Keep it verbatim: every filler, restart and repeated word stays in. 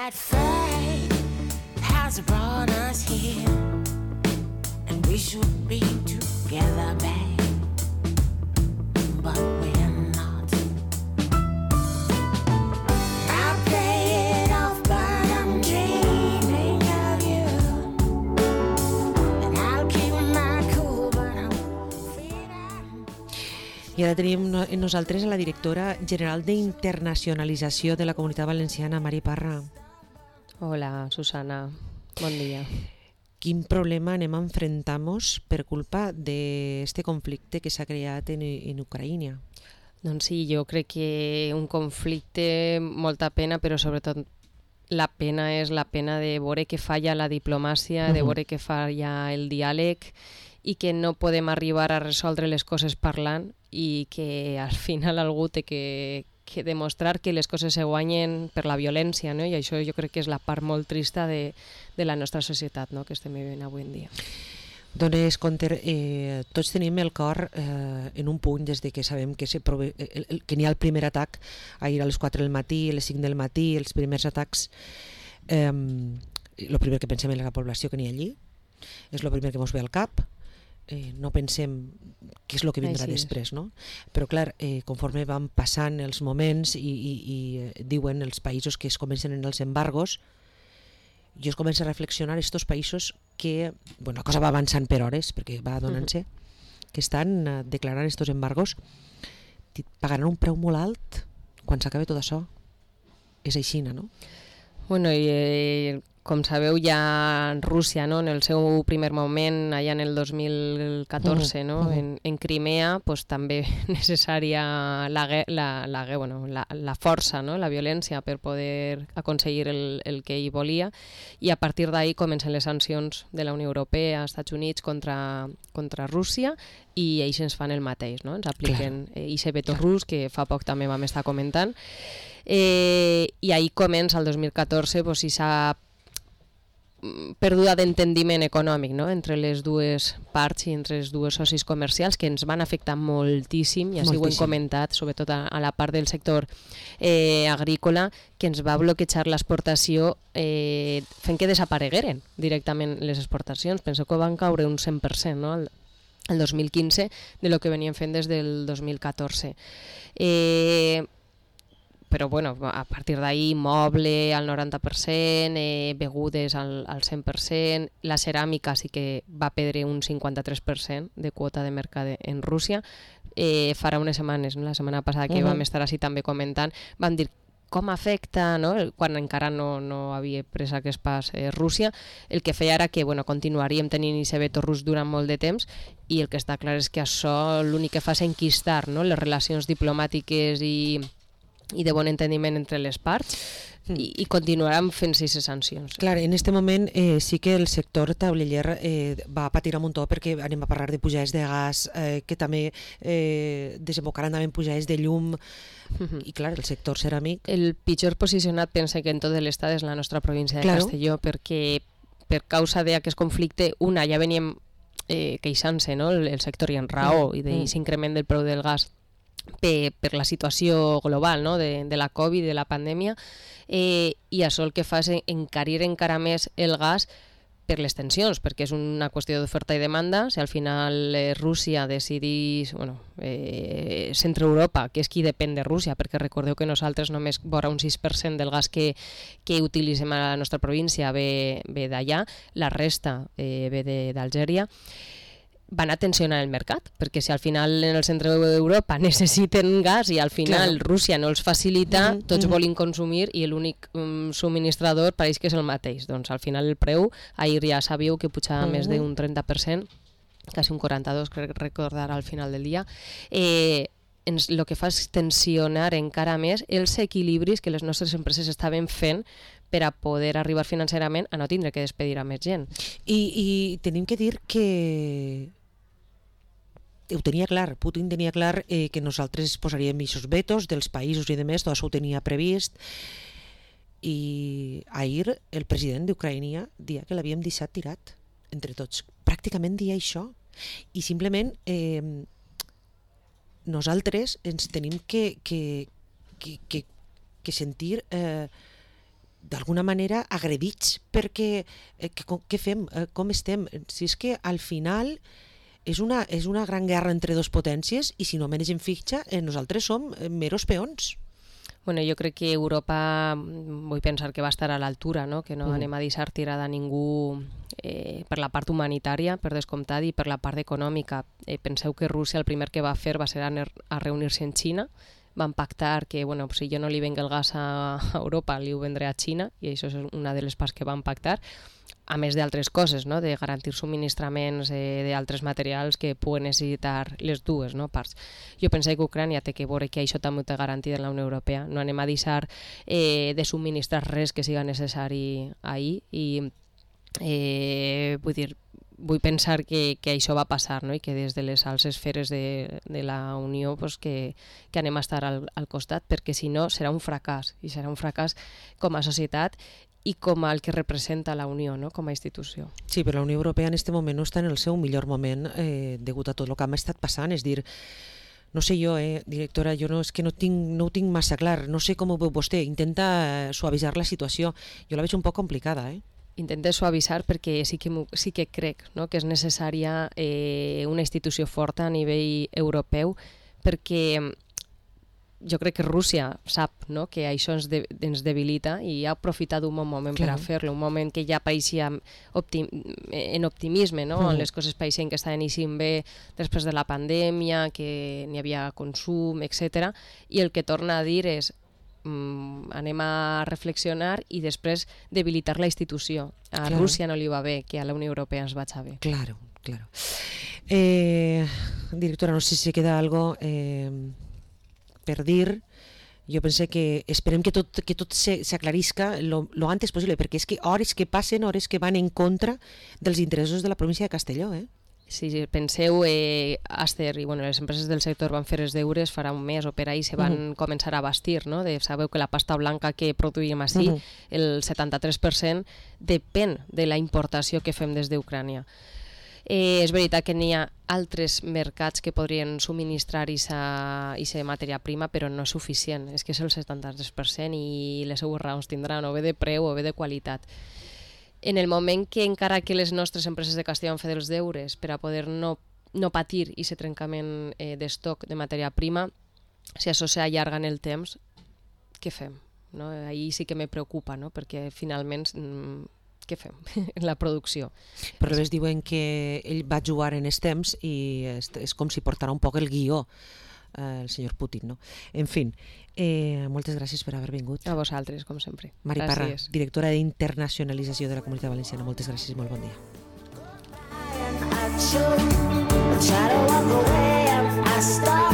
that fate has brought us here, and we should be together, babe, but we're not. I'll play it off, but I'm dreaming of you, and I'll keep my cool, but I'm feeling. I ara tenim en nosaltres a la directora general d'Internacionalització de la Comunitat Valenciana, Mari Parra. Hola, Susana. Bon dia. Quin problema anem a enfrentar-nos per culpa d'aquest conflicte que s'ha creat en, en Ucraïna? Doncs sí, jo crec que un conflicte, molta pena, però sobretot la pena és la pena de veure que falla la diplomàcia, de veure que falla el diàleg i que no podem arribar a resoldre les coses parlant i que al final algú té que, que demostrar que les coses se guanyen per la violència, no? I això jo crec que és la part molt trista de, de la nostra societat, no? Que estem vivint avui en dia. Dones compte, eh, tots tenim el cor eh, en un punt des de que sabem que, se prove, el, el, que n'hi ha el primer atac ahir a les quatre del matí, a les cinc del matí, els primers atacs. Eh, el primer que pensem és la població que n'hi ha allí, és el primer que ens ve al cap. Eh, no pensem què és el que vindrà Així després, no? Però clar, eh, conforme van passant els moments i, i, i eh, diuen els països que es comencen en els embargos, jo es comença a reflexionar estos països que, bueno, la cosa va avançant per hores, perquè va donant-se, uh-huh. que estan eh, declarant estos embargos, pagaran un preu molt alt quan s'acabe tot això. És així, no? Bueno, i eh, com sabeu, ja Rússia, no, en el seu primer moment, allà en el dos mil catorze, no, uh-huh. en, en Crimea, pues, també necessària la, la, la, bueno, la, la força, no, la violència per poder aconseguir el, el que ell volia, i a partir d'ahir comencen les sancions de la Unió Europea, Estats Units, contra, contra Rússia, i ells ens fan el mateix, no? Ens apliquen aquest veto rus, que fa poc també vam estar comentant, eh, i ahir comença el dos mil catorze, pues, si s'ha perduda d'entendiment econòmic, no? Entre les dues parts i entre els dues socis comercials que ens van afectar moltíssim, i així ho hem comentat, sobretot a, a la part del sector eh, agrícola, que ens va bloquejar l'exportació eh, fent que desaparegueren directament les exportacions. Penso que van caure un cent per cent, no? el, el dos mil quinze de lo que venien fent des del dos mil catorze. Eh, però bueno, a partir d'ahir moble al noranta per cent, eh, begudes al, al cent per cent, la ceràmica sí que va perdre un cinquanta-tres per cent de quota de mercat en Rússia. Eh, farà unes setmanes, no? La setmana passada que uh-huh. vam estar així també comentant, vam dir com afecta, no? Quan encara no, no havia pres aquest pas eh, Rússia, el que feia era que bueno, continuaríem tenint aquest veto rus durant molt de temps, i el que està clar és que això l'únic que fa és enquistar, no? Les relacions diplomàtiques i i de bon entendiment entre les parts, i, i continuaran fent-se aquestes sancions. Clar, en aquest moment eh, sí que el sector tauliller eh, va patir un muntó, perquè anem a parlar de pujades de gas, eh, que també eh, desembocaran també en pujades de llum, uh-huh. i clar, el sector ceràmic... El pitjor posicionat, pensa que en tot l'estat és la nostra província de claro. Castelló, perquè per causa d'aquest conflicte, una, ja veníem eh, queixant-se, no? el, el sector i en raó, uh-huh. i d'aquest increment del preu del gas Per, per la situació global, no? de, de la Covid, de la pandèmia, eh, i això el que fa és encarir encara més el gas per les tensions, perquè és una qüestió d'oferta i demanda. Si al final eh, Rússia decidís, bueno, eh, Centre Europa, que és qui depèn de Rússia, perquè recordeu que nosaltres només vora un sis per cent del gas que, que utilitzem a la nostra província ve, ve d'allà, la resta eh, ve d'Algèria, van a tensionar el mercat, perquè si al final en el centre d'Europa necessiten gas i al final claro. Rússia no els facilita, mm-hmm. tots mm-hmm. volen consumir i l'únic um, subministrador pareix que és el mateix. Doncs al final el preu, ahir ja sabíeu que pujava mm-hmm. més d'un trenta per cent, quasi un quaranta-dos, crec recordar al final del dia. Eh, ens, el que fa és tensionar encara més els equilibris que les nostres empreses estaven fent per a poder arribar financerament a no tindre que despedir a més gent. I, i tenim que dir que ho tenia clar, Putin tenia clar eh, que nosaltres posaríem aquests vetos dels països i de més, tot això ho tenia previst, i ahir el president d'Ucraïna dia que l'havíem deixat tirat entre tots, pràcticament dia això, i simplement eh, nosaltres ens tenim que, que, que, que, que sentir eh, d'alguna manera agredits perquè eh, que, com- què fem, eh, com estem? Si és que al final és una, és una gran guerra entre dos potències i si no manegem fitxa, eh, nosaltres som eh, meros peons. Bueno, jo crec que Europa, mm, vull pensar que va estar a l'altura, no? Que no Mhm. anem a deixar tirada a ningú eh, per la part humanitària, per descomptat, i per la part econòmica. Eh, penseu que Rússia el primer que va fer va ser anar a reunir-se en Xina, van pactar que, bueno, si jo no li venc el gas a Europa, li ho vendré a Xina, i això és una de les parts que van pactar, a més d'altres coses, no? De garantir subministraments eh, d'altres materials que puguen necessitar les dues, no? Parts. Jo penso que Ucrània té que veure que això també ho té garantit en la Unió Europea. No anem a deixar eh, de subministrar res que siga necessari ahir i eh, vull dir, vull pensar que, que això va passar, no? I que des de les alts esferes de, de la Unió pues, que, que anem a estar al, al costat, perquè si no serà un fracàs, i serà un fracàs com a societat i com el que representa la Unió, no? Com a institució. Sí, però la Unió Europea en aquest moment no està en el seu millor moment eh, degut a tot el que ha estat passant, és dir, no sé jo, eh, directora, jo no, és que no, tinc, no ho tinc massa clar, no sé com ho veu vostè, intenta suavitzar la situació, jo la veig un poc complicada, eh? Intente suavitzar perquè sí que, m'ho- sí que crec, no? Que és necessària eh, una institució forta a nivell europeu, perquè jo crec que Rússia sap, no? Que això ens, de, ens debilita i ha aprofitat un bon moment per Clar. a fer-lo, un moment que ja pareixia optim, en optimisme, no? Mhm. On les coses pareixien que estaven eixint bé després de la pandèmia, que n'hi havia consum, etcètera. I el que torna a dir és mm, anem a reflexionar i després debilitar la institució. A Claro. Rússia no li va bé, que a la Unió Europea ens vaig bé. Claro, claro. Eh, directora, no sé si queda algo eh, per dir. Jo pense que esperem que tot, que tot se- s'aclarisca lo, lo antes possible, perquè és que hores que passen, hores que van en contra dels interessos de la província de Castelló, eh? Si penseu, eh, Aster i bueno, les empreses del sector van fer els deures farà un mes o per ahí se van Mhm. començar a bastir, no? De, sabeu que la pasta blanca que produïm així, Mhm. el setanta-tres per cent depèn de la importació que fem des d'Ucrània. Eh, és veritat que n'hi ha altres mercats que podrien subministrar aquesta matèria prima, però no és suficient. És que és el setanta-tres per cent i les seues raons tindran o bé de preu o bé de qualitat. En el moment que encara que les nostres empreses de Castelló han fet els deures per a poder no, no patir aquest trencament eh, d'estoc de matèria prima, si això s'allarga en el temps, què fem? No? Ahí sí que me preocupa, no? Perquè finalment mm, què fem? La producció. Però a més diuen que ell va jugar en els temps i és, és com si portara un poc el guió eh, el senyor Putin, no? En fi, eh, moltes gràcies per haver vingut. A vosaltres, com sempre. Mari Parra, Gràcies. directora d'internacionalització de la Comunitat Valenciana. Moltes gràcies i molt bon dia. I should try to walk away. I start.